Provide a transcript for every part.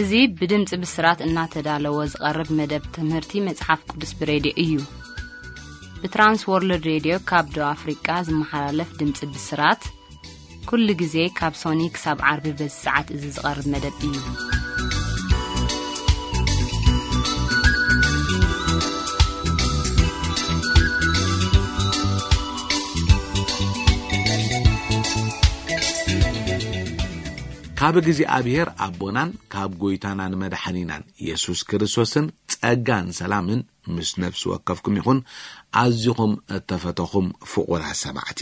እዚ ብድምፂ ብስራት እናተዳለወ ዝቐርብ መደብ ትምህርቲ መጽሓፍ ቅዱስ ብሬድዮ እዩ። ብትራንስ ወርልድ ሬድዮ ካብ ደቡብ ኣፍሪቃ ዝመሓላለፍ ድምፂ ብስራት፣ ኩሉ ግዜ ካብ ሶኒ ክሳብ ዓርቢ በዚ ሰዓት እዚ ዝቐርብ መደብ እዩ። ካብ እግዚኣብሔር ኣቦናን ካብ ጎይታናን መድሓኒናን የሱስ ክርስቶስን ጸጋን ሰላምን ምስ ነፍሲ ወከፍኩም ይኹን። ኣዚኹም እተፈተኹም ፍቑራት ሰማዕቲ፣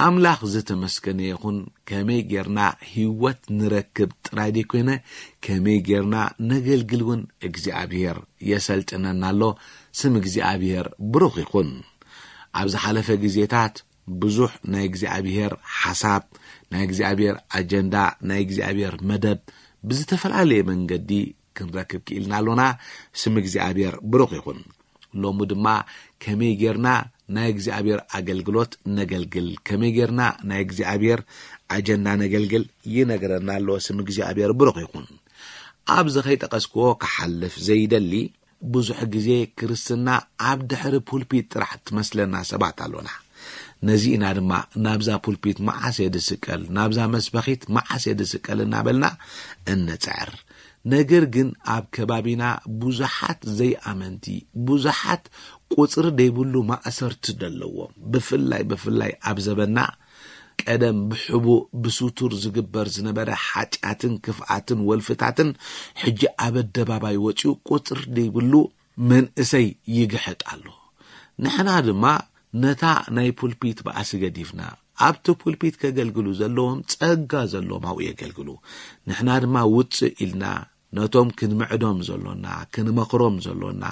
ኣምላኽ ዝተመስገነ ይኹን። ከመይ ጌርና ህይወት ንረክብ ጥራይ ደይኮይነ፣ ከመይ ጌርና ነገልግል እውን እግዚኣብሔር የሰልጥነና ኣሎ። ስም እግዚኣብሔር ብሩኽ ይኹን። ኣብ ዝሓለፈ ግዜታት ብዙሕ ናይ እግዚኣብሔር ሓሳብ፣ ናይ እግዚኣብሔር ኣጀንዳ፣ ናይ እግዚኣብሔር መደብ ብዝተፈላለየ መንገዲ ክንረክብ ክኢልና ኣሎና። ስም እግዚኣብሔር ብሩኽ ይኹን። ሎሚ ድማ ከመይ ጌርና ናይ እግዚኣብሔር ኣገልግሎት ነገልግል፣ ከመይ ጌርና ናይ እግዚኣብሔር ኣጀንዳ ነገልግል ይነግረና ኣሎ። ስም እግዚኣብሔር ብሩኽ ይኹን። ኣብዚ ከይጠቐስክዎ ክሓልፍ ዘይደሊ፣ ብዙሕ ግዜ ክርስትና ኣብ ድሕሪ ፑልፒት ጥራሕ ትመስለና ሰባት ኣሎና። ነዚ ኢና ድማ ናብዛ ፑልፒት መዓስ እየ ድስቀል፣ ናብዛ መስበኺት መዓስ እየ ድስቀል እናበልና እንጽዕር። ነገር ግን ኣብ ከባቢና ብዙሓት ዘይኣመንቲ፣ ብዙሓት ቁጽሪ ዘይብሉ ማእሰርቲ ዘለዎም፣ ብፍላይ ብፍላይ ኣብ ዘበና ቀደም ብሕቡእ ብስቱር ዝግበር ዝነበረ ሓጢኣትን ክፍኣትን ወልፍታትን ሕጂ ኣብ ኣደባባይ ወጺኡ ቁጽሪ ዘይብሉ መንእሰይ ይግሕጥ ኣሎ። ንሕና ድማ ነታ ናይ ፑልፒት ባእሲ ገዲፍና ኣብቲ ፑልፒት ከገልግሉ ዘለዎም ጸጋ ዘለዎም ኣብኡ የገልግሉ። ንሕና ድማ ውጽእ ኢልና ነቶም ክንምዕዶም ዘሎና፣ ክንመኽሮም ዘሎና፣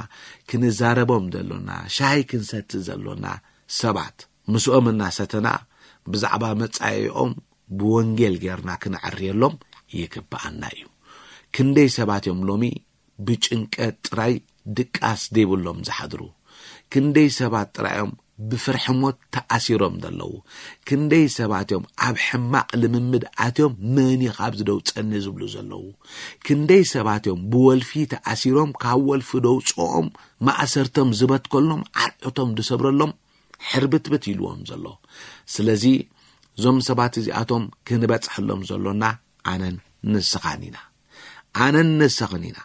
ክንዛረቦም ዘሎና፣ ሻሂ ክንሰቲ ዘሎና ሰባት ምስኦም እናሰተና ብዛዕባ መጻኢኦም ብወንጌል ጌርና ክነዕርየሎም ይግብኣና እዩ። ክንደይ ሰባት እዮም ሎሚ ብጭንቀት ጥራይ ድቃስ ዘይብሎም ዝሓድሩ? ክንደይ ሰባት ጥራይ እዮም ብፍርሒ ሞት ተኣሲሮም ዘለዉ? ክንደይ ሰባት እዮም ኣብ ሕማቕ ልምምድ ኣትዮም መን እዩ ካብዚ ደውፀኒ ዝብሉ ዘለዉ? ክንደይ ሰባት እዮም ብወልፊ ተኣሲሮም ካብ ወልፊ ደውፅኦም ማእሰርቶም ዝበትከሎም ዓርዕቶም ዝሰብረሎም ሕርብትብት ኢልዎም ዘሎ? ስለዚ እዞም ሰባት እዚኣቶም ክንበፅሐሎም ዘሎና ኣነን ንስኻን ኢና። ኣነን ንስኽን ኢና።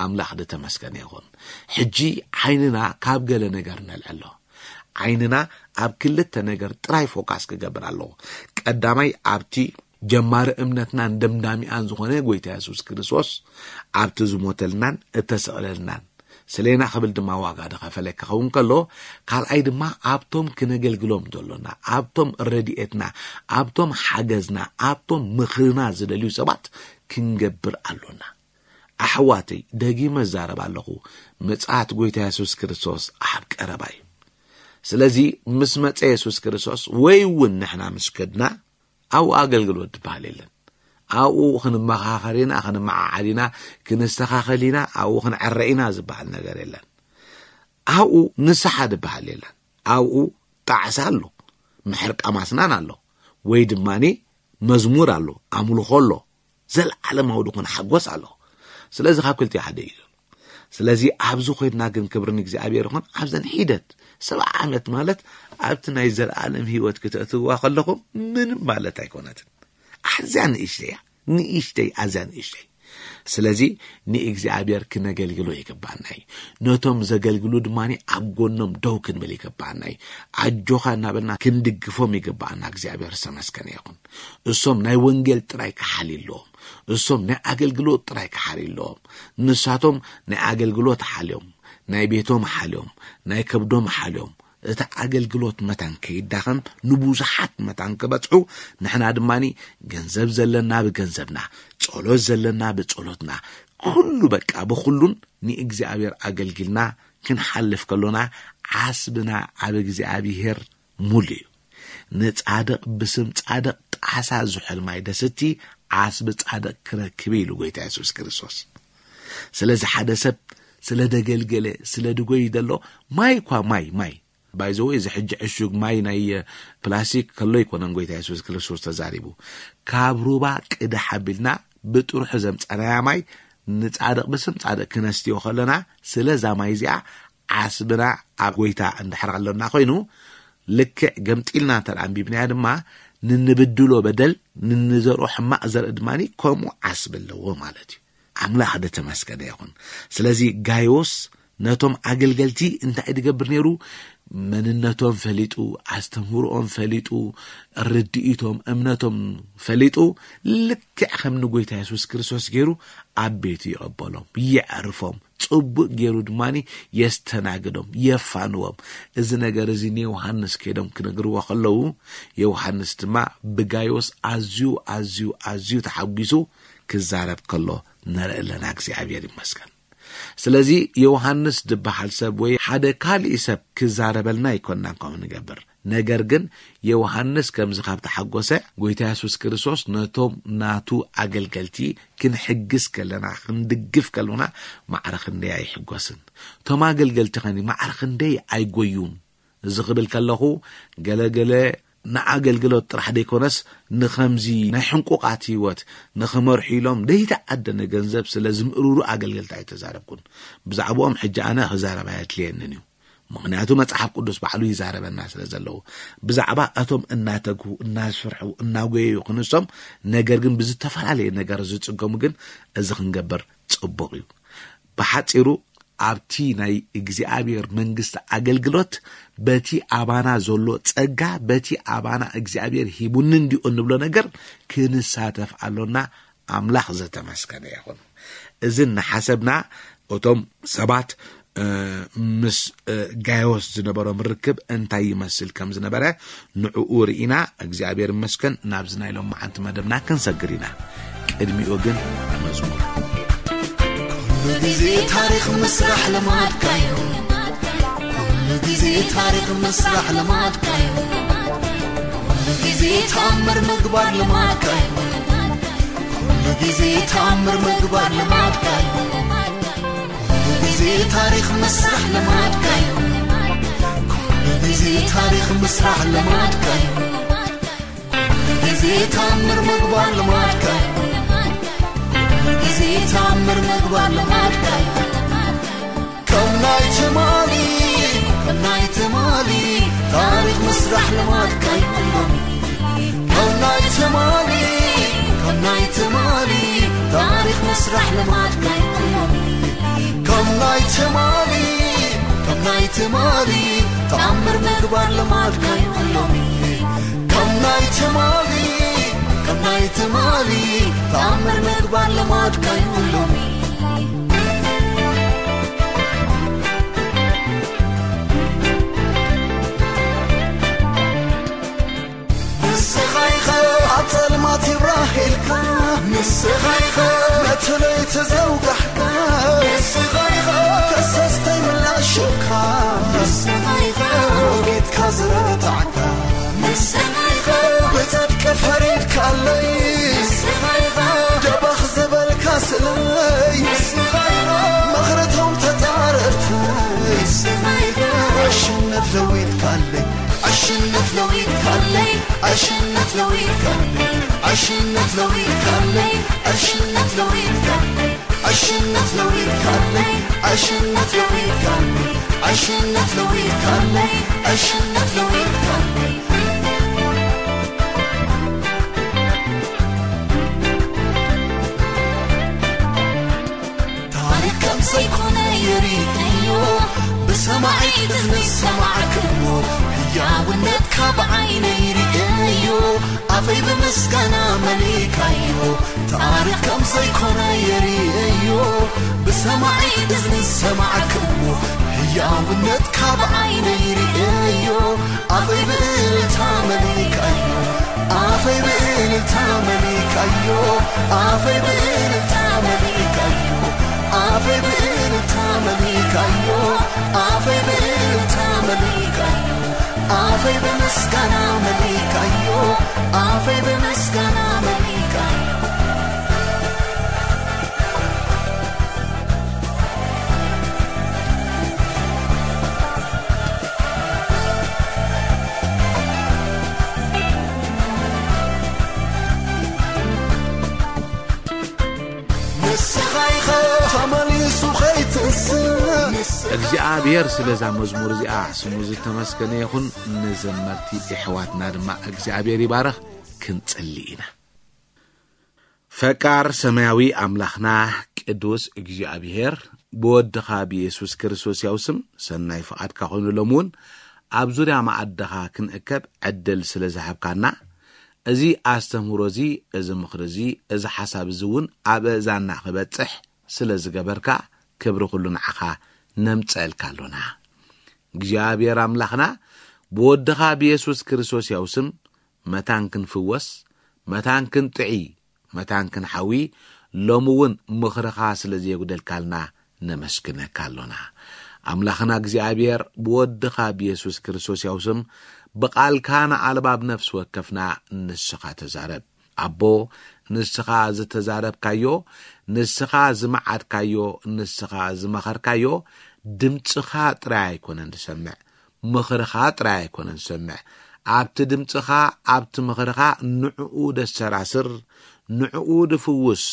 ኣምላኽ ዝተመስገነ ይኹን። ሕጂ ዓይንና ካብ ገለ ነገር ነልዕሎ። ዓይንና ኣብ ክልተ ነገር ጥራይ ፎካስ ክገብር ኣለዎ። ቀዳማይ ኣብቲ ጀማሪ እምነትናን ደምዳሚኣን ዝኾነ ጎይታ የሱስ ክርስቶስ ኣብቲ ዝሞተልናን እተሰቕለልናን፣ ስሌና ክብል ድማ ዋጋ ዝኸፈለ ክኸውን ከሎ፣ ካልኣይ ድማ ኣብቶም ክነገልግሎም ዘሎና፣ ኣብቶም ረድኤትና፣ ኣብቶም ሓገዝና፣ ኣብቶም ምኽርና ዝደልዩ ሰባት ክንገብር ኣሎና። ኣሕዋተይ፣ ደጊመ እዛረብ ኣለኹ፣ ምጽኣት ጎይታ የሱስ ክርስቶስ ኣብ ቀረባ እዩ። ስለዚ ምስ መጸ የሱስ ክርስቶስ ወይ እውን ንሕና ምስ ከድና፣ ኣብኡ ኣገልግሎት ዝበሃል የለን። ኣብኡ ክንመኻኸር ኢና፣ ክንመዓዓድ ኢና፣ ክንስተኻኸል ኢና፣ ኣብኡ ክንዕረ ኢና ዝበሃል ነገር የለን። ኣብኡ ንስሓ ዝበሃል የለን። ኣብኡ ጣዕሳ ኣሎ፣ ምሕርቃም ኣስናን ኣሎ፣ ወይ ድማኒ መዝሙር ኣሎ፣ ኣምልኾ ኣሎ፣ ዘለዓለማዊ ዝኾነ ሓጎስ ኣሎ። ስለዚ ካብ ክልቲኡ ሓደ እዩ ዘሎ። ስለዚ ኣብዚ ኮይንና ግን ክብሪ ንእግዚኣብሔር ይኹን፣ ኣብዘን ሒደት ሰብዓ ዓመት ማለት ኣብቲ ናይ ዘለዓለም ህይወት ክተእትውዋ ከለኹም ምንም ማለት ኣይኮነትን። ኣዝያ ንእሽተይ እያ፣ ንእሽተይ፣ ኣዝያ ንእሽተይ። ስለዚ ንእግዚኣብሔር ክነገልግሎ ይግባኣና እዩ። ነቶም ዘገልግሉ ድማ ኣብ ጎኖም ደው ክንብል ይግባኣና እዩ። ኣጆኻ እናበልና ክንድግፎም ይግባኣና። እግዚኣብሔር ዝተመስገነ ይኹን። እሶም ናይ ወንጌል ጥራይ ክሓልዩ ኣለዎም። እሶም ናይ ኣገልግሎት ጥራይ ክሓልዩ ኣለዎም። ንሳቶም ናይ ኣገልግሎት ሓልዮም፣ ናይ ቤቶም ሓልዮም፣ ናይ ከብዶም ሓልዮም፣ እቲ ኣገልግሎት መታን ከይዳኸም ንብዙሓት መታን ክበጽሑ፣ ንሕና ድማኒ ገንዘብ ዘለና ብገንዘብና፣ ጸሎት ዘለና ብጸሎትና፣ ኩሉ በቃ ብኹሉን ንእግዚኣብሔር ኣገልጊልና ክንሓልፍ ከሎና፣ ዓስብና ኣብ እግዚኣብሔር ሙሉ እዩ። ንጻድቕ ብስም ጻድቕ ጣሳ ዝሑል ማይ ደስቲ ዓስቢ ጻድቕ ክረክብ ኢሉ ጎይታ የሱስ ክርስቶስ። ስለዚ ሓደ ሰብ ስለ ደገልገለ፣ ስለ ድጎይ ደሎ፣ ማይ እኳ ማይ፣ ማይ። ባይዘወ እዚ ሕጂ ዕሹግ ማይ ናይ ፕላስቲክ ከሎ ኣይኮነን ጎይታ የሱስ ክርስቶስ ተዛሪቡ። ካብ ሩባ ቅዳሕ ኣቢልና ብጥርሑ ዘምጻናያ ማይ ንጻድቕ ብስም ጻድቕ ክነስትዮ ከለና፣ ስለ እዛ ማይ እዚኣ ዓስብና ኣብ ጎይታ እንድሕር ከሎና ኮይኑ፣ ልክዕ ገምጢልና እንተ ደኣ ኣንቢብናያ ድማ፣ ንንብድሎ በደል፣ ንንዘርኦ ሕማቕ ዘርኢ ድማ ከምኡ ዓስቢ ኣለዎ ማለት እዩ። ኣምላኽ ደተመስገነ ይኹን። ስለዚ ጋይዮስ ነቶም ኣገልገልቲ እንታይ ድገብር ነይሩ? መንነቶም ፈሊጡ፣ ኣስተምህሮኦም ፈሊጡ፣ ርድኢቶም፣ እምነቶም ፈሊጡ፣ ልክዕ ከም ንጎይታ የሱስ ክርስቶስ ገይሩ ኣብ ቤቱ ይቐበሎም፣ የዕርፎም፣ ጽቡቕ ገይሩ ድማ የስተናግዶም፣ የፋንዎም። እዚ ነገር እዚ ንዮሃንስ ከይዶም ክነግርዎ ከለዉ፣ ዮሃንስ ድማ ብጋይዮስ ኣዝዩ፣ ኣዝዩ፣ ኣዝዩ ተሓጒሱ ክዛረብ ከሎ ንርኢ ኣለና። እግዚኣብሔር ይመስገን። ስለዚ ዮሃንስ ዝበሃል ሰብ ወይ ሓደ ካልእ ሰብ ክዛረበልና ኣይኮንናን ከምኡ ንገብር። ነገር ግን ዮሃንስ ከምዚ ካብ ተሓጎሰ፣ ጎይታ የሱስ ክርስቶስ ነቶም ናቱ ኣገልገልቲ ክንሕግዝ ከለና፣ ክንድግፍ ከለና፣ ማዕረ ክንደይ ኣይሕጎስን። እቶም ኣገልገልቲ ኸኒ ማዕረ ክንደይ ኣይጎዩን። እዚ ክብል ከለኹ፣ ገለገለ ንኣገልግሎት ጥራሕ ደይኮነስ፣ ንኸምዚ ናይ ሕንቁቓት ህይወት ንኽመርሑ ኢሎም ደይተዓደነ ገንዘብ ስለ ዝምእርሩ ኣገልገልቲ ኣይተዛረብኩን። ብዛዕባኦም ሕጂ ኣነ ክዛረብ ኣየድልየንን እዩ። ምኽንያቱ መጽሓፍ ቅዱስ ባዕሉ ይዛረበና ስለ ዘለዉ። ብዛዕባ እቶም እናተግሁ፣ እናስርሑ፣ እናጎየዩ ክንሶም፣ ነገር ግን ብዝተፈላለየ ነገር ዝጽገሙ ግን እዚ ክንገብር ጽቡቕ እዩ። ብሓጺሩ ኣብቲ ናይ እግዚኣብሔር መንግስቲ ኣገልግሎት በቲ ኣባና ዘሎ ጸጋ፣ በቲ ኣባና እግዚኣብሔር ሂቡኒ እንዲኡ እንብሎ ነገር ክንሳተፍ ኣሎና። ኣምላኽ ዘተመስገነ ይኹን። እዚ እናሓሰብና እቶም ሰባት፣ እ፣ ምስ፣ እ፣ ጋዮስ ዝነበሮም ርክብ እንታይ ይመስል ከም ዝነበረ ንዕኡ ርኢና፣ እግዚኣብሔር ይመስገን፣ ናብዚ ናይ ሎማዓንቲ መደብና ክንሰግር ኢና። ቅድሚኡ ግን መዝሙር። ኩሉ ግዜ ታሪኽ ምስራሕ ልማድካዩ። ኩሉ ግዜ ታሪኽ ምስራሕ ልማድካዩ። ኩሉ ግዜ ተኣምር ምግባር ልማድካዩ። ኩሉ ግዜ ተኣምር ምግባር ልማድካዩ። ኩሉ ግዜ ታሪኽ ምስራሕ ልማድካዩ። ኩሉ ግዜ ታሪኽ ምስራሕ ልማድካዩ። ኩሉ ግዜ ተኣምር ምግባር ልማድካዩ። ኩሉ ግዜ ተኣምር ምግባር ልማድካዩ። ከም ናይ ትማሊ፣ ከም ናይ ትማሊ ታሪኽ ምስራሕ ልማድካዩ ሎሚ። ከም ናይ ትማሊ፣ ከም ናይ ትማሊ ታሪኽ ምስራሕ ልማድካዩ ሎሚ። ከም ናይ ትማሊ፣ ከም ናይ ትማሊ ተኣምር ምግባር ልማድካዩ ሎሚ። ከም ናይ ትማሊ፣ ከም ናይ ትማሊ ተኣምር ምግባር ልማድካዩ ሎሚ። ንስኻ ኢኻ ኣብ ጸልማት ይብራህ ኢልካ፣ ንስኻ ኢኻ ነቲ ለይቲ ዘውጋሕካ፣ ንስኻ ኢኻ ከሰስተይ ምላሽ ሽብካ፣ ንስኻ ኢኻ ሞጊትካ ዝረታዕካ፣ ንስኻ ኢኻ ብጽድቂ ፈሪድካለይ፣ ንስኻ ኢኻ ደባኽ ዝበልካ ስለይ፣ ንስኻ ኢኻ መኽርቶም ተጻረርተይ፣ ንስኻ ኢኻ ዕሽነት ለዊጥካለይ። ዕሽነት ለዊጥካለይ፣ ዕሽነት ለዊጥካለይ፣ ዕሽነት ለዊጥካለይ፣ ዕሽነት ለዊጥካለይ፣ ዕሽነት ለዊጥካለይ፣ ዕሽነት ለዊጥካለይ፣ ዕሽነት ለዊጥካለይ፣ ዕሽነት ለዊጥካለይ። ታሪኽ ከም ዘይኮነ ይርእዮ፣ ብሰማዒት እዝኒ ዝሰማዕክዎ፣ ህያውነትካ ብዓይነይ ርእዮ፣ ኣፈይ ብምስጋና መሊእካዮ። ታሪኽ ከም ዘይኮነ ይርእዮ፣ ብሰማዒት እዝኒ ዝሰማዕክዎ፣ ህያውነትካ ብዓይነይ ርእዮ፣ ኣፈይ ብእልልታ መሊእካዮ፣ ኣፈይ ብእልልታ መሊእካዮ፣ ኣፈይ ብእልልታ መሊእካዮ፣ ኣፈይ ብእልልታ መሊእካዮ፣ ኣፈይ ብእልልታ መሊእካዮ፣ ኣፈይ ብምስጋና መሊእካዮ፣ ኣፈይ ብምስጋና መሊእካዮ። እግዚኣብሔር ስለዛ መዝሙር እዚኣ ስሙ ዝተመስገነ ይኹን። ንዘመርቲ ኣሕዋትና ድማ እግዚኣብሔር ይባረኽ። ክንጽሊ ኢና። ፈቃር ሰማያዊ ኣምላኽና ቅዱስ እግዚኣብሔር፣ ብወድኻ ብየሱስ ክርስቶስ ያው ስም ሰናይ ፍቓድካ ኮይኑ፣ ሎም እውን ኣብ ዙርያ መኣድኻ ክንእከብ ዕድል ስለ ዝሃብካና፣ እዚ ኣስተምህሮ እዚ፣ እዚ ምኽሪ እዚ፣ እዚ ሓሳብ እዚ እውን ኣብ ኣእዛንና ክበጽሕ ስለ ዝገበርካ፣ ክብሪ ኩሉ ንዓኻ ነምጸልካ ኣሎና። እግዚኣብሔር ኣምላኽና፣ ብወድኻ ብየሱስ ክርስቶስ ያው ስም መታን ክንፍወስ፣ መታን ክንጥዒ፣ መታን ክንሓዊ፣ ሎም እውን ምኽርኻ ስለ ዘየጉደልካልና ነመስግነካ ኣሎና። ኣምላኽና እግዚኣብሔር፣ ብወድኻ ብየሱስ ክርስቶስ ያው ስም ብቓልካ ንኣልባብ ነፍሲ ወከፍና ንስኻ ተዛረብ። ኣቦ፣ ንስኻ ዝተዛረብካዮ፣ ንስኻ ዝመዓድካዮ፣ ንስኻ ዝመኸርካዮ፣ ድምጽኻ ጥራይ ኣይኮነን ዝሰምዕ፣ ምኽርኻ ጥራይ ኣይኮነን ዝሰምዕ። ኣብቲ ድምጽኻ፣ ኣብቲ ምኽርኻ ንዕኡ ደሰራስር፣ ንዕኡ ድፍውስ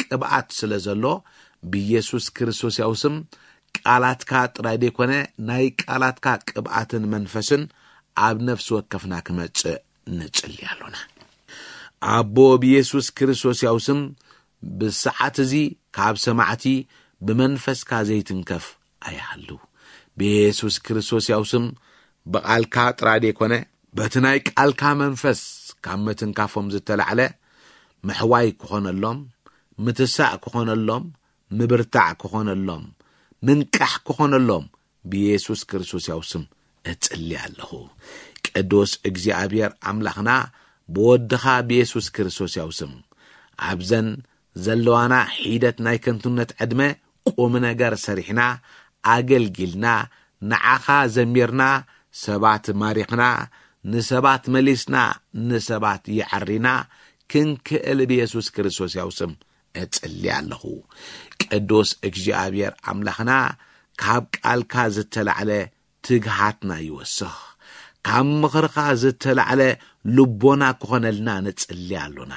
ቅብኣት ስለ ዘሎ፣ ብየሱስ ክርስቶስ ያው ስም ቃላትካ ጥራይ ደይኮነ፣ ናይ ቃላትካ ቅብኣትን መንፈስን ኣብ ነፍሲ ወከፍና ክመጽእ ንጽሊ ኣሎና። ኣቦ፣ ብየሱስ ክርስቶስ ያው ስም ብሰዓት እዚ ካብ ሰማዕቲ ብመንፈስካ ዘይትንከፍ ኣይሃሉ። ብየሱስ ክርስቶስ ያው ስም ብቓልካ ጥራይ ደይኮነ፣ በቲ ናይ ቃልካ መንፈስ ካብ ምትንካፎም ዝተላዕለ ምሕዋይ ክኾነሎም፣ ምትሳእ ክኾነሎም፣ ምብርታዕ ክኾነሎም፣ ምንቃሕ ክኾነሎም ብየሱስ ክርስቶስ ያው ስም እጽሊ ኣለኹ። ቅዱስ እግዚኣብሔር ኣምላኽና፣ ብወድኻ ብየሱስ ክርስቶስ ያው ስም ኣብዘን ዘለዋና ሒደት ናይ ከንቱነት ዕድመ ቁም ነገር ሰሪሕና፣ ኣገልጊልና፣ ንዓኻ ዘሚርና፣ ሰባት ማሪኽና፣ ንሰባት መሊስና፣ ንሰባት የዐሪና ክንክእል ብየሱስ ክርስቶስ ያው ስም እጽሊ ኣለኹ። ቅዱስ እግዚኣብሔር ኣምላኽና፣ ካብ ቃልካ ዝተላዕለ ትግሃትና ይወስኽ። ካብ ምኽርኻ ዝተላዕለ ልቦና ክኾነልና ንጽሊ ኣሎና።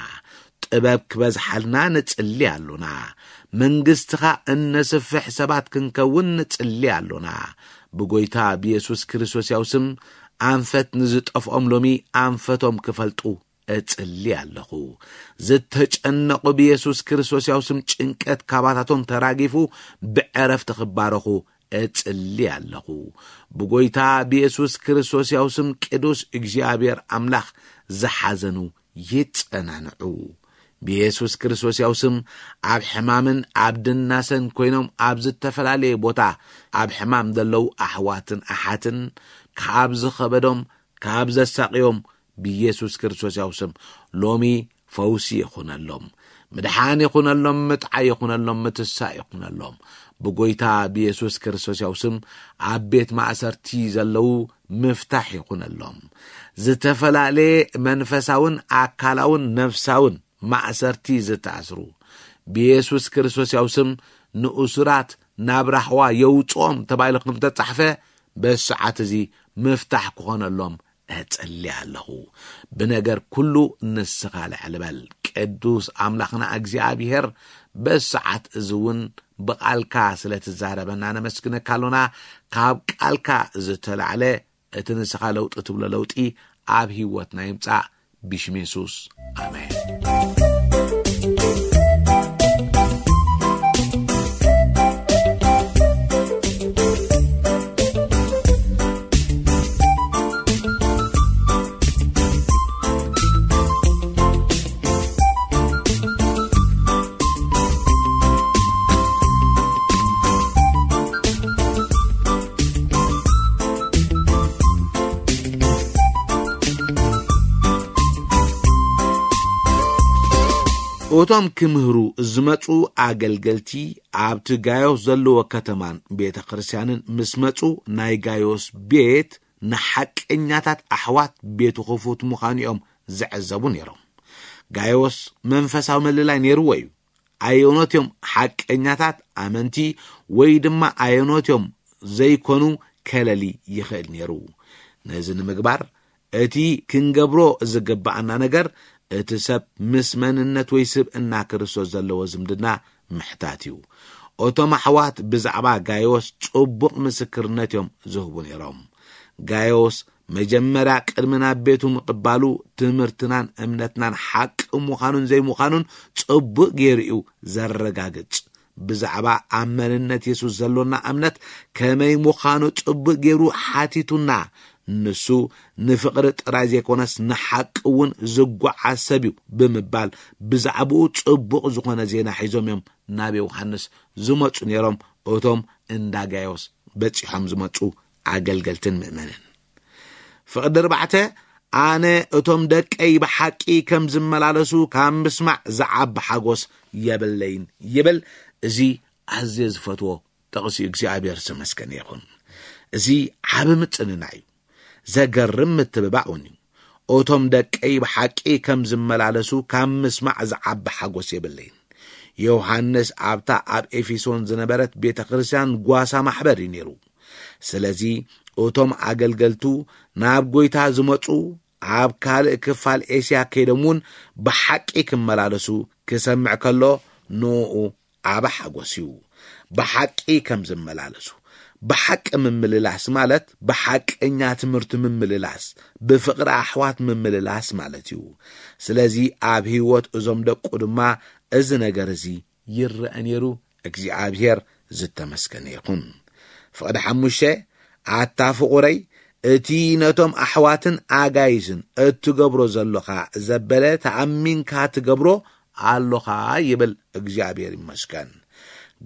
ጥበብ ክበዝሓልና ንጽሊ ኣሎና። መንግስትኻ እነስፍሕ ሰባት ክንከውን ንጽሊ ኣሎና። ብጎይታ ብየሱስ ክርስቶስ ያው ስም ኣንፈት ንዝጠፍኦም ሎሚ ኣንፈቶም ክፈልጡ እጽሊ ኣለኹ። ዝተጨነቑ ብየሱስ ክርስቶስ ያው ስም ጭንቀት ካባታቶም ተራጊፉ ብዕረፍቲ ክባረኹ እጽሊ ኣለኹ። ብጎይታ ብየሱስ ክርስቶስ ያው ስም ቅዱስ እግዚኣብሔር ኣምላኽ ዝሓዘኑ ይጸናንዑ። ብየሱስ ክርስቶስ ያው ስም ኣብ ሕማምን ኣብ ድናሰን ኮይኖም ኣብ ዝተፈላለየ ቦታ ኣብ ሕማም ዘለዉ ኣሕዋትን ኣሓትን ካብ ዝኸበዶም ካብ ዘሳቕዮም ብየሱስ ክርስቶስ ያው ስም ሎሚ ፈውሲ ይኹነሎም። ምድሓን ይኹነሎም፣ ምጥዓይ ይኹነሎም፣ ምትሳእ ይኹነሎም። ብጎይታ ብየሱስ ክርስቶስ ያው ስም ኣብ ቤት ማእሰርቲ ዘለዉ ምፍታሕ ይኹነሎም። ዝተፈላለየ መንፈሳውን ኣካላውን ነፍሳውን ማእሰርቲ ዝተኣስሩ ብየሱስ ክርስቶስ ያው ስም ንእሱራት ናብ ራህዋ የውጽኦም ተባሂሉ ከም ተጻሕፈ በሰዓት እዚ ምፍታሕ ክኾነሎም እጽሊ ኣለኹ። ብነገር ኩሉ ንስኻ ልዕል በል። ቅዱስ ኣምላኽና እግዚኣብሔር በሰዓት እዚ እውን ብቓልካ ስለ ትዛረበና ነመስግነካ ኣሎና። ካብ ቃልካ ዝተላዕለ እቲ ንስኻ ለውጢ ትብሎ ለውጢ ኣብ ህይወትና ይምጻእ። ብሽም የሱስ ኣሜን። እቶም ክምህሩ ዝመጹ ኣገልገልቲ ኣብቲ ጋዮስ ዘለዎ ከተማን ቤተ ክርስቲያንን ምስ መጹ፣ ናይ ጋዮስ ቤት ንሓቀኛታት ኣሕዋት ቤቱ ክፉት ምዃኑ እዮም ዝዕዘቡ ነይሮም። ጋዮስ መንፈሳዊ ምልላይ ነይርዎ እዩ። ኣየኖት እዮም ሓቀኛታት ኣመንቲ ወይ ድማ ኣየኖት እዮም ዘይኮኑ ከለሊ ይኽእል ነይሩ። ነዚ ንምግባር እቲ ክንገብሮ ዝግብኣና ነገር እቲ ሰብ ምስ መንነት ወይ ስብእና ክርስቶስ ዘለዎ ዝምድና ምሕታት እዩ። እቶም ኣሕዋት ብዛዕባ ጋዮስ ጽቡቕ ምስክርነት እዮም ዝህቡ ነይሮም። ጋዮስ መጀመርያ ቅድሚ ናብ ቤቱ ምቕባሉ ትምህርትናን እምነትናን ሓቂ ምዃኑን ዘይምዃኑን ጽቡቕ ገይሩ እዩ ዘረጋግጽ። ብዛዕባ ኣብ መንነት የሱስ ዘሎና እምነት ከመይ ምዃኑ ጽቡቕ ገይሩ ሓቲቱና። ንሱ ንፍቕሪ ጥራይ ዘይኮነስ ንሓቂ እውን ዝጓዓዝ ሰብ እዩ ብምባል ብዛዕባኡ ጽቡቕ ዝኾነ ዜና ሒዞም እዮም ናብ ዮሃንስ ዝመጹ ነይሮም። እቶም እንዳ ጋዮስ በጺሖም ዝመጹ ኣገልገልትን ምእመንን። ፍቕዲ ኣርባዕተ፣ ኣነ እቶም ደቀይ ብሓቂ ከም ዝመላለሱ ካብ ምስማዕ ዝዓቢ ሓጎስ የብለይን ይብል። እዚ ኣዝየ ዝፈትዎ ጥቕሲ እግዚኣብሔር ዝተመስገነ ይኹን። እዚ ዓቢ ምጽንና እዩ። ዘገርም ምትብባዕ እውን እዩ። እቶም ደቀይ ብሓቂ ከም ዝመላለሱ ካብ ምስማዕ ዝዓቢ ሓጎስ የብለይን። ዮሃንስ ኣብታ ኣብ ኤፌሶን ዝነበረት ቤተ ክርስቲያን ጓሳ ማሕበር እዩ ነይሩ። ስለዚ እቶም ኣገልገልቱ ናብ ጎይታ ዝመጹ ኣብ ካልእ ክፋል ኤስያ ከይዶም እውን ብሓቂ ክመላለሱ ክሰምዕ ከሎ ንኡ ዓቢ ሓጎስ እዩ። ብሓቂ ከም ዝመላለሱ። ብሓቂ ምምልላስ ማለት ብሓቀኛ ትምህርቲ ምምልላስ፣ ብፍቕሪ ኣሕዋት ምምልላስ ማለት እዩ። ስለዚ ኣብ ህይወት እዞም ደቁ ድማ እዚ ነገር እዚ ይረአ ነይሩ። እግዚኣብሔር ዝተመስገነ ይኹን። ፍቕዲ ሓሙሽተ፣ ኣታ ፍቑረይ፣ እቲ ነቶም ኣሕዋትን ኣጋይዝን እትገብሮ ዘሎኻ ዘበለ ተኣሚንካ ትገብሮ ኣሎኻ ይብል። እግዚኣብሔር ይመስገን።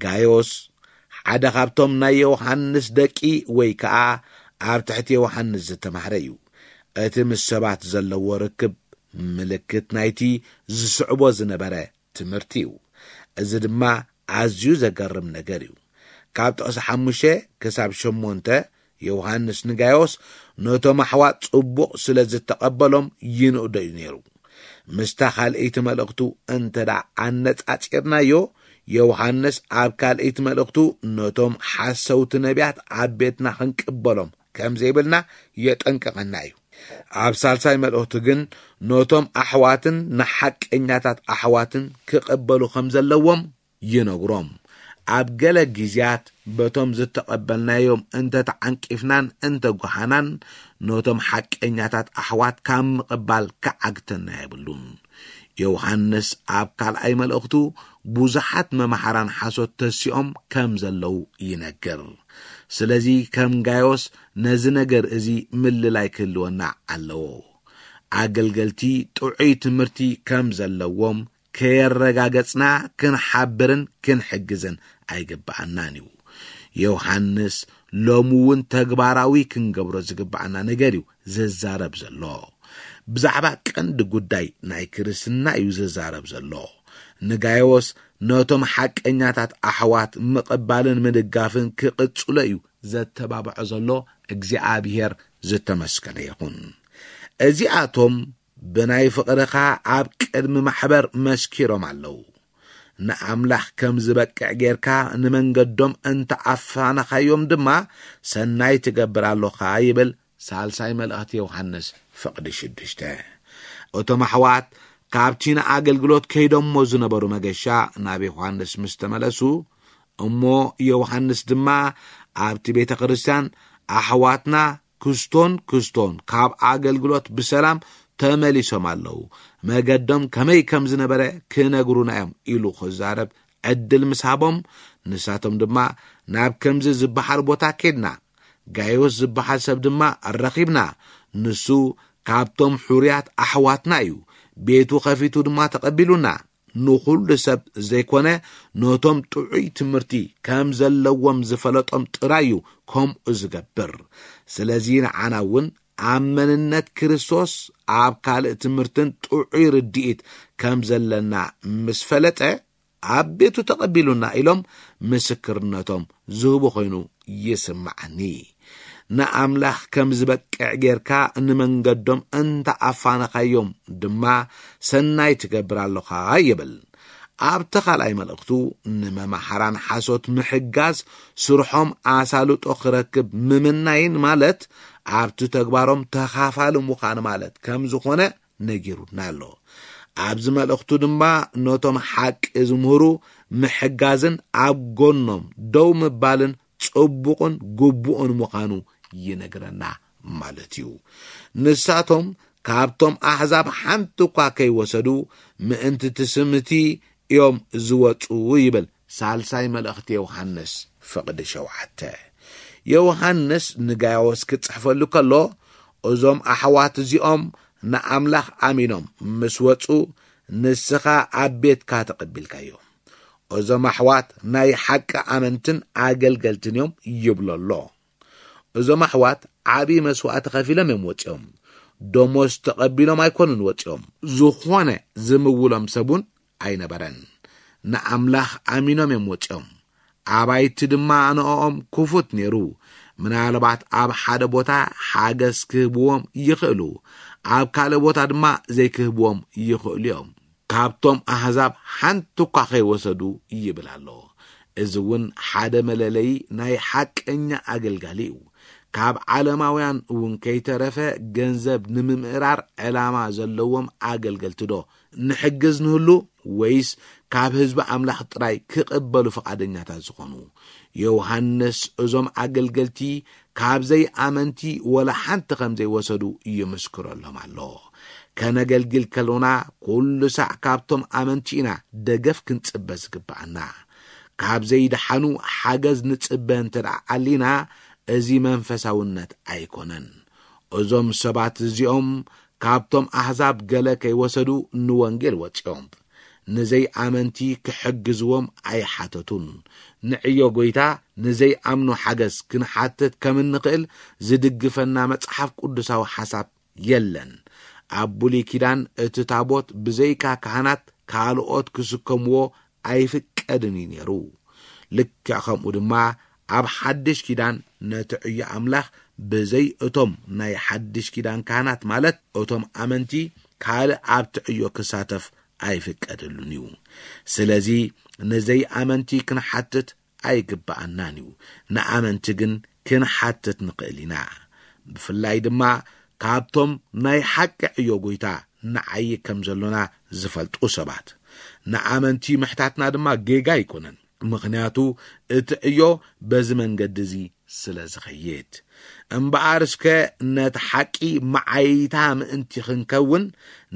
ጋዮስ ሓደ ካብቶም ናይ ዮሃንስ ደቂ ወይ ከኣ ኣብ ትሕቲ ዮሃንስ ዝተማህረ እዩ። እቲ ምስ ሰባት ዘለዎ ርክብ ምልክት ናይቲ ዝስዕቦ ዝነበረ ትምህርቲ እዩ። እዚ ድማ ኣዝዩ ዘገርም ነገር እዩ። ካብ ጥቕሲ ሓሙሽተ ክሳብ ሸሞንተ ዮሃንስ ንጋዮስ ነቶም ኣሕዋት ጽቡቕ ስለ ዝተቐበሎም ይንእዶ እዩ ነይሩ። ምስታ ካልእይቲ መልእኽቱ እንተ ደኣ ኣነጻጺርናዮ፣ ዮሃንስ ኣብ ካልእይቲ መልእኽቱ ነቶም ሓሰውቲ ነቢያት ኣብ ቤትና ክንቅበሎም ከም ዘይብልና የጠንቅቐና እዩ። ኣብ ሳልሳይ መልእኽቱ ግን ነቶም ኣሕዋትን ንሓቀኛታት ኣሕዋትን ክቕበሉ ከም ዘለዎም ይነግሮም። ኣብ ገለ ግዜያት በቶም ዝተቐበልናዮም እንተ ተዓንቂፍናን እንተ ጓሃናን፣ ነቶም ሓቀኛታት ኣሕዋት ካብ ምቕባል ክዓግተና የብሉን። ዮሃንስ ኣብ ካልኣይ መልእኽቱ ብዙሓት መማሕራን ሓሶት ተሲኦም ከም ዘለዉ ይነግር። ስለዚ ከም ጋዮስ ነዚ ነገር እዚ ምልላይ ክህልወና ኣለዎ። ኣገልገልቲ ጥዑይ ትምህርቲ ከም ዘለዎም ከየረጋገጽና ክንሓብርን ክንሕግዝን ኣይግብኣናን እዩ። ዮሃንስ ሎሚ እውን ተግባራዊ ክንገብሮ ዝግብኣና ነገር እዩ ዝዛረብ ዘሎ። ብዛዕባ ቀንዲ ጉዳይ ናይ ክርስትና እዩ ዝዛረብ ዘሎ። ንጋዮስ ነቶም ሓቀኛታት ኣሕዋት ምቕባልን ምድጋፍን ክቕጽሎ እዩ ዘተባብዖ ዘሎ። እግዚኣብሔር ዝተመስገነ ይኹን። እዚኣቶም ብናይ ፍቕርኻ ኣብ ቅድሚ ማሕበር መስኪሮም ኣለዉ። ንኣምላኽ ከም ዝበቅዕ ጌርካ ንመንገዶም እንተ ኣፋነኻዮም ድማ ሰናይ ትገብር ኣሎኻ ይብል ሳልሳይ መልእኽቲ ዮሃንስ ፍቕዲ ሽዱሽተ። እቶም ኣሕዋት ካብቲ ንኣገልግሎት ከይዶሞ ዝነበሩ መገሻ ናብ ዮሃንስ ምስ ተመለሱ፣ እሞ ዮሃንስ ድማ ኣብቲ ቤተ ክርስቲያን ኣሕዋትና ክስቶን ክስቶን ካብ ኣገልግሎት ብሰላም ተመሊሶም ኣለዉ፣ መገዶም ከመይ ከም ዝነበረ ክነግሩና እዮም ኢሉ ክዛረብ ዕድል ምስ ሃቦም፣ ንሳቶም ድማ ናብ ከምዚ ዝበሃል ቦታ ኬድና፣ ጋዮስ ዝበሃል ሰብ ድማ ረኺብና፣ ንሱ ካብቶም ሕሩያት ኣሕዋትና እዩ፣ ቤቱ ኸፊቱ ድማ ተቐቢሉና። ንኹሉ ሰብ ዘይኮነ፣ ነቶም ጥዑይ ትምህርቲ ከም ዘለዎም ዝፈለጦም ጥራይ እዩ ከምኡ ዝገብር። ስለዚ ንዓና እውን ኣብ መንነት ክርስቶስ ኣብ ካልእ ትምህርትን ጥዑይ ርድኢት ከም ዘለና ምስ ፈለጠ፣ ኣብ ቤቱ ተቐቢሉና ኢሎም ምስክርነቶም ዝህቡ ኮይኑ ይስምዓኒ። ንኣምላኽ ከም ዝበቅዕ ጌርካ ንመንገዶም እንተ ኣፋነኻዮም ድማ ሰናይ ትገብር ኣሎኻ ይብል። ኣብቲ ካልኣይ መልእኽቱ ንመማሕራን ሓሶት ምሕጋዝ ስርሖም ኣሳልጦ ክረክብ ምምናይን ማለት ኣብቲ ተግባሮም ተኻፋሊ ምዃን ማለት ከም ዝኾነ ነጊሩና ኣሎ። ኣብዚ መልእኽቱ ድማ ነቶም ሓቂ ዝምህሩ ምሕጋዝን ኣብ ጎኖም ደው ምባልን ጽቡቕን ግቡእን ምዃኑ ይነግረና ማለት እዩ። ንሳቶም ካብቶም ኣሕዛብ ሓንቲ እኳ ከይወሰዱ ምእንቲ ትስምቲ እዮም ዝወጹ ይብል ሳልሳይ መልእኽቲ ዮሃንስ ፍቕዲ ሸውዓተ። ዮሃንስ ንጋይዮስ ክጽሕፈሉ ከሎ፣ እዞም ኣሕዋት እዚኦም ንኣምላኽ ኣሚኖም ምስ ወጹ፣ ንስኻ ኣብ ቤትካ ተቐቢልካዮም። እዞም ኣሕዋት ናይ ሓቂ ኣመንትን ኣገልገልትን እዮም ይብሎ ኣሎ። እዞም ኣሕዋት ዓቢ መስዋእቲ ከፊሎም እዮም ወጺኦም። ደሞዝ ተቐቢሎም ኣይኮኑን ወጺኦም። ዝኾነ ዝምውሎም ሰብ እውን ኣይነበረን። ንኣምላኽ ኣሚኖም እዮም ወጺኦም። ኣባይቲ ድማ ኣነኦም ክፉት ነይሩ። ምናልባት ኣብ ሓደ ቦታ ሓገዝ ክህብዎም ይኽእሉ፣ ኣብ ካልእ ቦታ ድማ ዘይክህብዎም ይኽእሉ እዮም። ካብቶም ኣህዛብ ሓንቲ እኳ ከይወሰዱ ይብል ኣሎ። እዚ እውን ሓደ መለለዪ ናይ ሓቀኛ ኣገልጋሊ እዩ። ካብ ዓለማውያን እውን ከይተረፈ ገንዘብ ንምምእራር ዕላማ ዘለዎም ኣገልገልቲ ዶ ንሕግዝ ንህሉ፣ ወይስ ካብ ህዝቢ ኣምላኽ ጥራይ ክቕበሉ ፍቓደኛታት ዝኾኑ? ዮሃንስ እዞም ኣገልገልቲ ካብ ዘይኣመንቲ ወላ ሓንቲ ከም ዘይወሰዱ ይምስክረሎም ኣሎ። ከነገልግል ከሎና ኩሉ ሳዕ ካብቶም ኣመንቲ ኢና ደገፍ ክንጽበ ዝግብኣና። ካብ ዘይደሓኑ ሓገዝ ንጽበ እንተ ደኣ ኣሊና፣ እዚ መንፈሳውነት ኣይኮነን። እዞም ሰባት እዚኦም ካብቶም ኣህዛብ ገለ ከይወሰዱ ንወንጌል ወጺኦም። ንዘይኣመንቲ ክሕግዝዎም ኣይሓተቱን። ንዕዮ ጐይታ ንዘይኣምኑ ሓገዝ ክንሓትት ከም እንኽእል ዝድግፈና መጽሓፍ ቅዱሳዊ ሓሳብ የለን። ኣብ ብሉይ ኪዳን እቲ ታቦት ብዘይካ ካህናት ካልኦት ክስከምዎ ኣይፍቀድን እዩ ነይሩ። ልክዕ ከምኡ ድማ ኣብ ሓድሽ ኪዳን ነቲ ዕዮ ኣምላኽ ብዘይ እቶም ናይ ሓድሽ ኪዳን ካህናት፣ ማለት እቶም ኣመንቲ፣ ካልእ ኣብቲ ዕዮ ክሳተፍ ኣይፍቀደሉን እዩ። ስለዚ ንዘይኣመንቲ ክንሓትት ኣይግብኣናን እዩ። ንኣመንቲ ግን ክንሓትት ንኽእል ኢና። ብፍላይ ድማ ካብቶም ናይ ሓቂ ዕዮ ጐይታ ንዓዪ ከም ዘሎና ዝፈልጡ ሰባት። ንኣመንቲ ምሕታትና ድማ ጌጋ ኣይኮነን። ምኽንያቱ እቲ ዕዮ በዚ መንገዲ እዚ ስለ ዝኸይድ። እምበኣር እስከ ነቲ ሓቂ መዓይታ ምእንቲ ክንከውን፣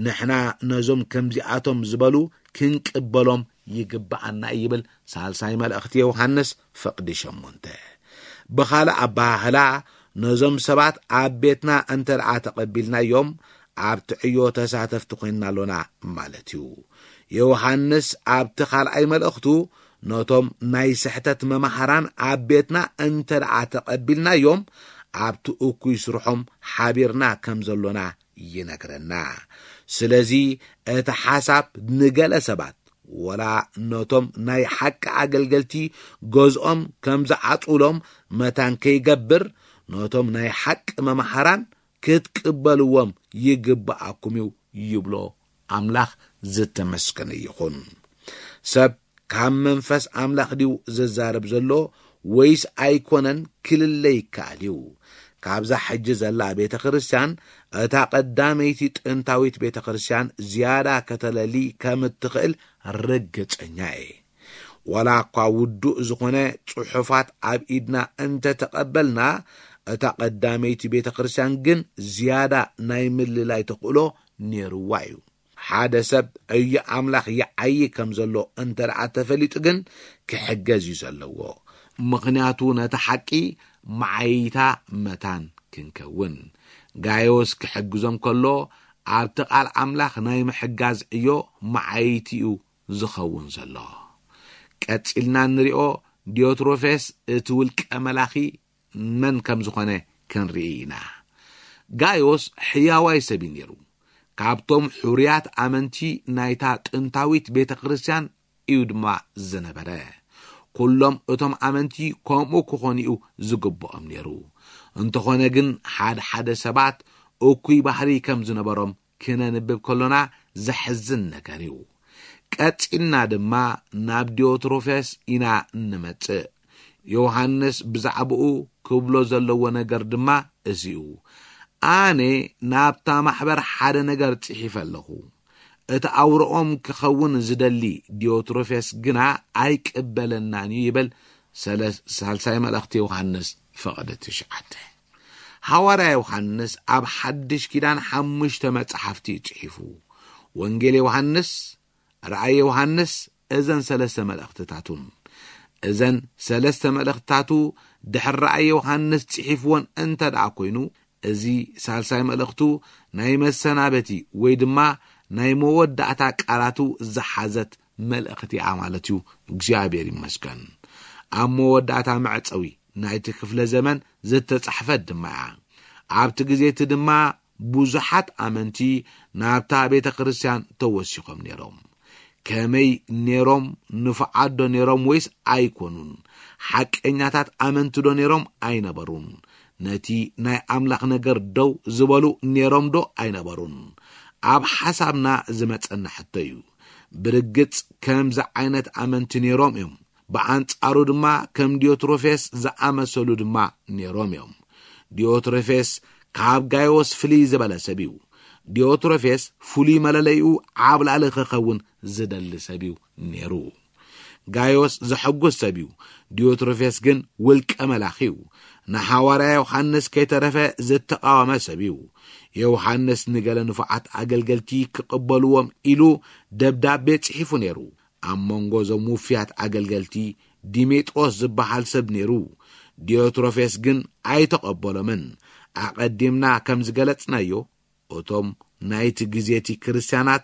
ንሕና ነዞም ከምዚኣቶም ዝበሉ ክንቅበሎም ይግብኣና ይብል ሳልሳይ መልእኽቲ ዮሃንስ ፍቕዲ ሸሞንተ። ብኻልእ ኣበሃህላ፣ ነዞም ሰባት ኣብ ቤትና እንተ ደኣ ተቐቢልናዮም፣ ኣብቲ ዕዮ ተሳተፍቲ ኮይንና ኣሎና ማለት እዩ። ዮሃንስ ኣብቲ ካልኣይ መልእኽቱ፣ ነቶም ናይ ስሕተት መማህራን ኣብ ቤትና እንተ ደኣ ተቐቢልናዮም፣ ኣብቲ እኩይ ስርሖም ሓቢርና ከም ዘሎና ይነግረና። ስለዚ እቲ ሓሳብ ንገለ ሰባት፣ ወላ ነቶም ናይ ሓቂ ኣገልገልቲ ገዝኦም ከም ዝዓጹሎም መታን ከይገብር፣ ነቶም ናይ ሓቂ መማህራን ክትቅበልዎም ይግብኣኩም እዩ ይብሎ። ኣምላኽ ዝተመስገነ ይኹን። ሰብ ካብ መንፈስ ኣምላኽ ድዩ ዝዛረብ ዘሎ ወይስ ኣይኮነን ክልለ ይከኣል እዩ። ካብዛ ሕጂ ዘላ ቤተ ክርስቲያን፣ እታ ቀዳመይቲ ጥንታዊት ቤተ ክርስቲያን ዝያዳ ከተለሊ ከም እትኽእል ርግጸኛ እየ። ዋላ እኳ ውዱእ ዝኾነ ጽሑፋት ኣብ ኢድና እንተ ተቐበልና፣ እታ ቀዳመይቲ ቤተ ክርስቲያን ግን ዝያዳ ናይ ምልላይ ተኽእሎ ነይርዋ እዩ። ሓደ ሰብ ዕዮ ኣምላኽ ይዓዪ ከም ዘሎ እንተ ደኣ ተፈሊጡ ግን ክሕገዝ እዩ ዘለዎ። ምኽንያቱ ነቲ ሓቂ መዓይታ መታን ክንከውን። ጋዮስ ክሕግዞም ከሎ ኣብቲ ቃል ኣምላኽ ናይ ምሕጋዝ ዕዮ መዓይቲ እዩ ዝኸውን ዘሎ። ቀጺልና እንሪኦ ዲዮትሮፌስ እቲ ውልቀ መላኺ መን ከም ዝኾነ ክንርኢ ኢና። ጋዮስ ሕያዋይ ሰብ እዩ ነይሩ። ካብቶም ሕሩያት ኣመንቲ ናይታ ጥንታዊት ቤተ ክርስቲያን እዩ ድማ ዝነበረ። ኩሎም እቶም ኣመንቲ ከምኡ ክኾኑ እዩ ዝግብኦም ነይሩ። እንተኾነ ግን ሓደ ሓደ ሰባት እኩይ ባህሪ ከም ዝነበሮም ክነንብብ ከሎና ዘሕዝን ነገር እዩ። ቀጺልና ድማ ናብ ዲዮትሮፌስ ኢና እንመጽእ። ዮሃንስ ብዛዕባኡ ክብሎ ዘለዎ ነገር ድማ እዚ እዩ። ኣነ ናብታ ማሕበር ሓደ ነገር ጽሒፈ ኣለኹ። እቲ ኣውረኦም ክኸውን ዝደሊ ዲዮትሮፌስ ግና ኣይቅበለናን እዩ ይብል ሰለ-፣ ሳልሳይ መልእኽቲ ዮሃንስ ፍቕዲ ትሽዓተ። ሃዋርያ ዮሃንስ ኣብ ሓድሽ ኪዳን ሓሙሽተ መጻሕፍቲ እዩ ጽሒፉ። ወንጌል ዮሃንስ፣ ራእይ ዮሃንስ፣ እዘን ሰለስተ መልእኽትታቱን። እዘን ሰለስተ መልእኽትታቱ ድሕሪ ራእይ ዮሃንስ ጽሒፍዎን እንተ ደኣ ኮይኑ፣ እዚ ሳልሳይ መልእኽቱ ናይ መሰናበቲ ወይ ድማ ናይ መወዳእታ ቃላቱ ዝሓዘት መልእኽቲ እያ ማለት እዩ። እግዚኣብሔር ይመስገን። ኣብ መወዳእታ መዕጸዊ ናይቲ ክፍለ ዘመን ዝተጻሕፈት ድማ እያ። ኣብቲ ግዜ እቲ ድማ ብዙሓት ኣመንቲ ናብታ ቤተ ክርስቲያን ተወሲኾም ነይሮም። ከመይ ነይሮም? ንፉዓት ዶ ነይሮም ወይስ ኣይኮኑን? ሓቀኛታት ኣመንቲ ዶ ነይሮም? ኣይነበሩን። ነቲ ናይ ኣምላኽ ነገር ደው ዝበሉ ነይሮም ዶ ኣይነበሩን? ኣብ ሓሳብና ዝመጸና ሕቶ እዩ። ብርግጽ ከምዚ ዓይነት ኣመንቲ ነይሮም እዮም። ብኣንጻሩ ድማ ከም ዲዮትሮፌስ ዝኣመሰሉ ድማ ነይሮም እዮም። ዲዮትሮፌስ ካብ ጋዮስ ፍልይ ዝበለ ሰብ እዩ። ዲዮትሮፌስ ፍሉይ መለለይኡ ዓብላሊ ክኸውን ዝደሊ ሰብ እዩ ነይሩ። ጋዮስ ዘሐጉስ ሰብ እዩ። ዲዮትሮፌስ ግን ውልቀ መላኺ እዩ። ንሓዋርያ ዮሃንስ ከይተረፈ ዝተቃወመ ሰብ እዩ። ዮሃንስ ንገለ ንፉዓት ኣገልገልቲ ክቕበልዎም ኢሉ ደብዳቤ ጽሒፉ ነይሩ። ኣብ መንጎ እዞም ውፍያት ኣገልገልቲ ዲሜጥሮስ ዝበሃል ሰብ ነይሩ። ዲዮትሮፌስ ግን ኣይተቐበሎምን። ኣቐዲምና ከም ዝገለጽናዮ፣ እቶም ናይቲ ግዜ እቲ ክርስትያናት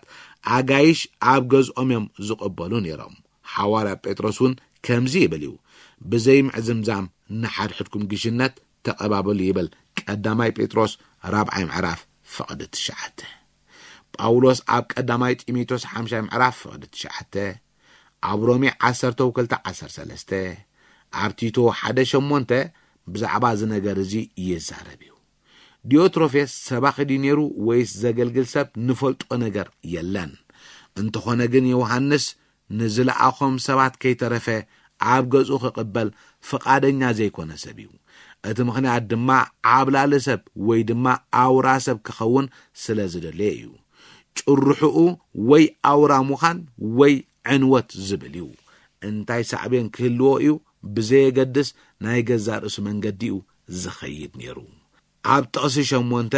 ኣጋይሽ ኣብ ገዝኦም እዮም ዝቕበሉ ነይሮም። ሓዋርያ ጴጥሮስ እውን ከምዚ ይብል እዩ፣ "ብዘይ ምዕዝምዛም ንሓድሕድኩም ግሽነት ተቐባበሉ" ይብል ቀዳማይ ጴጥሮስ ራብዓይ ምዕራፍ ፍቕዲ ትሽዓተ። ጳውሎስ ኣብ ቀዳማይ ጢሞቴዎስ ሓምሻይ ምዕራፍ ፍቕዲ ትሽዓተ፣ ኣብ ሮሜ ዓሰርተ ክልተ ዓሰርተ ሰለስተ፣ ኣብ ቲቶ ሓደ ሸሞንተ ብዛዕባ እዚ ነገር እዚ ይዛረብ እዩ። ዲዮትሮፌስ ሰባኺ ድዩ ነይሩ ወይስ ዘገልግል ሰብ ንፈልጦ ነገር የለን። እንተኾነ ግን ዮሃንስ ንዝለኣኾም ሰባት ከይተረፈ ኣብ ገዝኡ ክቕበል ፍቓደኛ ዘይኮነ ሰብ እዩ። እቲ ምኽንያት ድማ ዓብላሊ ሰብ ወይ ድማ ኣውራ ሰብ ክኸውን ስለ ዝደለየ እዩ። ጭርሕኡ ወይ ኣውራ ምዃን ወይ ዕንወት ዝብል እዩ። እንታይ ሳዕቤን ክህልዎ እዩ ብዘየገድስ ናይ ገዛእ ርእሱ መንገዲ እዩ ዝኸይድ ነይሩ። ኣብ ጥቕሲ ሸሞንተ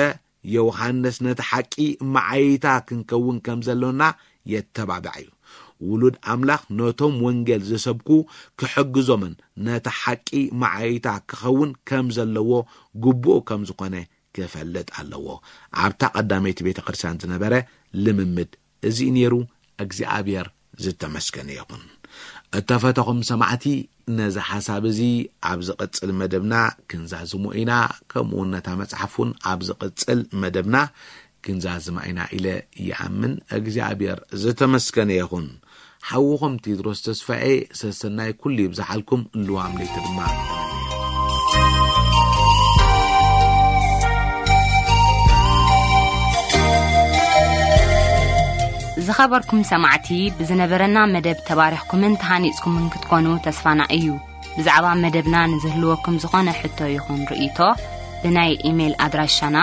ዮሃንስ ነቲ ሓቂ መዓይታ ክንከውን ከም ዘሎና የተባብዕ እዩ። ውሉድ ኣምላኽ ነቶም ወንጌል ዝሰብኩ ክሕግዞምን ነቲ ሓቂ መዓይታ ክኸውን ከም ዘለዎ ግቡእ ከም ዝኾነ ክፈልጥ ኣለዎ። ኣብታ ቀዳመይቲ ቤተ ክርስቲያን ዝነበረ ልምምድ እዚ ነይሩ። እግዚኣብሔር ዝተመስገነ ይኹን። እተፈተኹም ሰማዕቲ፣ ነዚ ሓሳብ እዚ ኣብ ዝቕጽል መደብና ክንዛዝሞ ኢና። ከምኡ እውን ነታ መጽሓፍ እውን ኣብ ዝቕጽል መደብና ክንዛዝማ ኢና ኢለ ይኣምን። እግዚኣብሔር ዝተመስገነ ይኹን። ሓውኹም ቴድሮስ ተስፋኤ፣ ሰሰናይ ኩሉ ይብዝሓልኩም፣ ልዋም ለይቲ ድማ። ዝኸበርኩም ሰማዕቲ፣ ብዝነበረና መደብ ተባሪኽኩምን ተሃኒጽኩምን ክትኮኑ ተስፋና እዩ። ብዛዕባ መደብና ንዝህልወኩም ዝኾነ ሕቶ ይኹን ርእይቶ፣ ብናይ ኢሜይል ኣድራሻና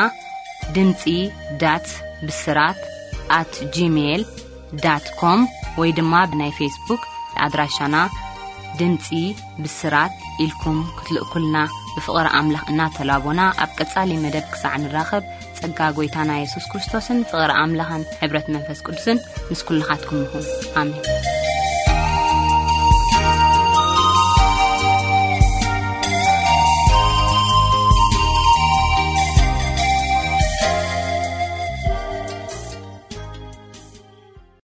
ድምጺ ዳት ብስራት ኣት ጂሜይል ዳት ኮም ወይ ድማ ብናይ ፌስቡክ ኣድራሻና ድምጺ ብስራት ኢልኩም ክትልእኩልና ብፍቕሪ ኣምላኽ እናተላቦና፣ ኣብ ቀጻሊ መደብ ክሳዕ ንራኸብ፣ ጸጋ ጐይታና የሱስ ክርስቶስን ፍቕሪ ኣምላኽን ሕብረት መንፈስ ቅዱስን ምስ ኩልኻትኩም ይኹን። ኣሜን።